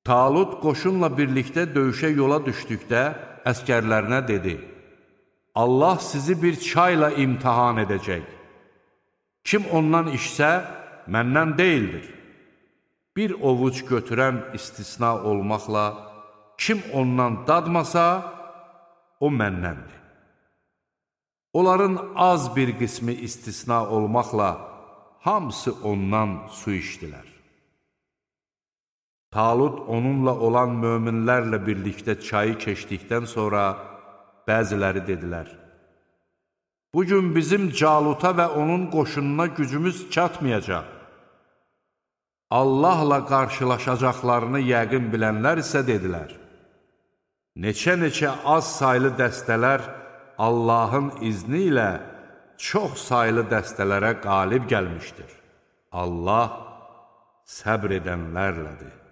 Talut qoşunla birlikdə döyüşə yola düşdükdə əskərlərinə dedi: Allah sizi bir çayla imtihan edəcək. Kim ondan içsə, məndən deyildir. Bir ovuc götürən istisna olmaqla, kim ondan dadmasa, o məndəndir. Onların az bir qismi istisna olmaqla, hamısı ondan su içdilər. Talut onunla olan möminlərlə birlikdə çayı keçdikdən sonra bəziləri dedilər: Bugün bizim Caluta və onun qoşununa gücümüz çatmayacaq. Allahla qarşılaşacaqlarını yəqin bilənlər isə dedilər: Neçə-neçə az saylı dəstələr Allahın izni ilə çox saylı dəstələrə qalib gəlmişdir. Allah səbr edənlərlədir.